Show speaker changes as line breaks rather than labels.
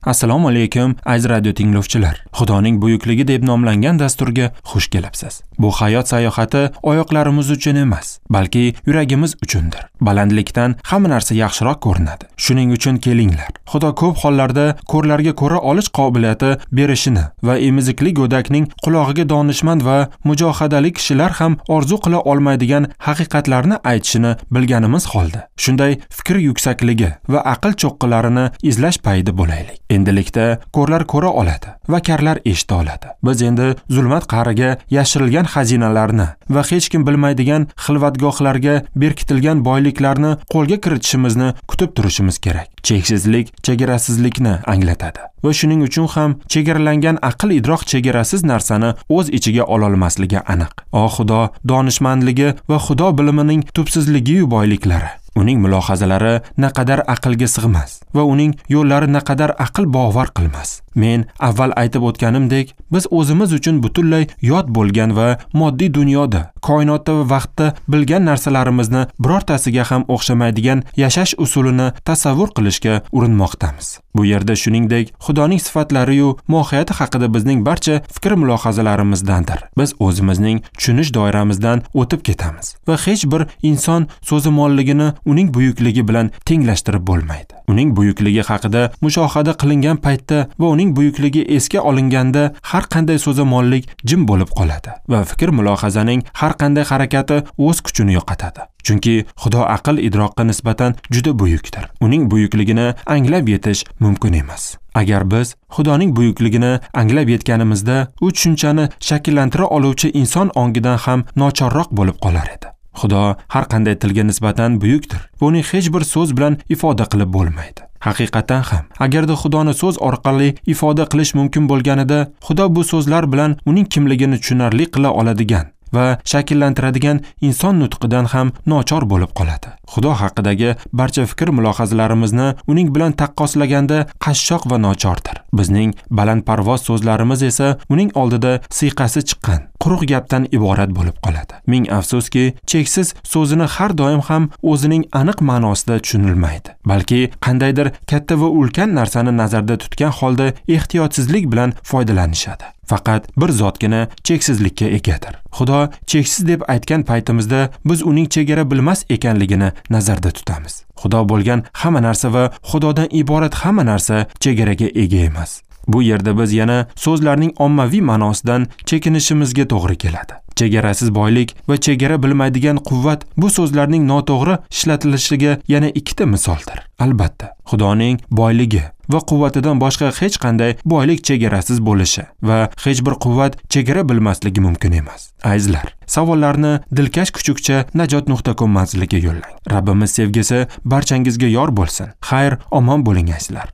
Assalomu alaykum, aziz radio tinglovchilar. Xudoning buyukligi deb nomlangan dasturga xush kelibsiz. Bu hayot sayohati oyoqlarimiz uchun emas, balki yuragimiz uchundir. Balandlikdan hamma narsa yaxshiroq ko'rinadi. Shuning uchun kelinglar. Xudo ko'p hollarda ko'rlarga ko'ra olish qobiliyati berishini va emizikli go'dakning qulog'iga donishmand va mujohadali kishilar ham orzu qila olmaydigan haqiqatlarni aytishini bilganimiz holda, shunday fikr yuksakligi va aql cho'qqilarini izlash payida bo'laylik. Endilikda ko'rlar ko'ra oladi va karlar eshita oladi. Biz endi zulmat qa'riga yashirilgan xazinalarni va hech kim bilmaydigan xilvatgohlarga berkitilgan boyliklarni qo'lga kiritishimizni kutib turishimiz kerak. Cheksizlik chegarasizlikni anglatadi va shuning uchun ham chegaralangan aql idrok chegarasiz narsani o'z ichiga ololmasligi aniq. O Xudo donishmandligi va Xudo bilimining tubsizligi boyliklari. Uning mulohazalari naqadar aqlga sig'mas va uning yo'llari naqadar aql bovar qilmas. Men avval aytib o'tganimdek, biz o'zimiz uchun butunlay yot bo'lgan va moddiy dunyoda, koinotda va vaqtda bilgan narsalarimizni birortasiga ham o'xshamaydigan yashash usulini tasavvur qilishga urinmoqdamiz. Bu yerda shuningdek, Xudoning sifatlari-yu mohiyati haqida bizning barcha fikr mulohazalarimizdandir. Biz o'zimizning tushunish doiramizdan o'tib ketamiz va hech bir inson so'zimolligini uning buyukligi bilan tenglashtirib bo'lmaydi. Uning buyukligi haqida mushohada qilingan paytda va uning buyukligi esga olinganda har qanday so'zimollik jim bo'lib qoladi va fikr mulohazaning har qanday harakati o'z kuchini yo'qotadi. Chunki Xudo aql idroqqa nisbatan juda buyukdir. Uning buyukligini anglab yetish mumkin emas. Agar biz Xudoning buyukligini anglab yetganimizda, u tushunchani shakllantira oluvchi inson ongidan ham nochorroq bo'lib qolar edi. Xudo har qanday tilga nisbatan buyukdir. Buni hech bir so'z bilan ifoda qilib bo'lmaydi. Haqiqatan ham, agarda Xudoni so'z orqali ifoda qilish mumkin bo'lganida, Xudo bu so'zlar bilan uning kimligini tushunarli qila oladigan va shakllantiradigan inson nutqidan ham nochor bo'lib qoladi. Xudo haqidagi barcha fikr mulohazalarimizni uning bilan taqqoslaganda qashshoq va nochordir. Bizning balandparvoz so'zlarimiz esa uning oldida siyqasi chiqqan quruq gapdan iborat bo'lib qoladi. Ming afsuski, cheksiz so'zini har doim ham o'zining aniq ma'nosida tushunilmaydi, balki qandaydir katta va ulkan narsani nazarda tutgan holda ehtiyotsizlik bilan foydalanishadi. Faqat bir zotgina cheksizlikka egadir. Xudo cheksiz deb aytgan paytimizda biz uning chegara bilmas ekanligini nazarda tutamiz. Xudo bo'lgan hamma narsa va Xudodan iborat hamma narsa chegaraga ega emas. Bu yerda biz yana so'zlarning ommaviy ma'nosidan chekinishimizga to'g'ri keladi. Chegarasiz boylik va chegara bilmaydigan quvvat bu so'zlarning noto'g'ri ishlatilishiga yana ikkita misoldir. Albatta, Xudoning boyligi va quvvatidan boshqa hech qanday boylik chegarasiz bo'lishi va hech bir quvvat chegara bilmasligi mumkin emas. Azizlar, savollarni dilkash kuchukcha najot.com manziliga yo'llang. Rabbimiz sevgisi barchangizga yor bo'lsin. Xayr, omon bo'ling azizlar.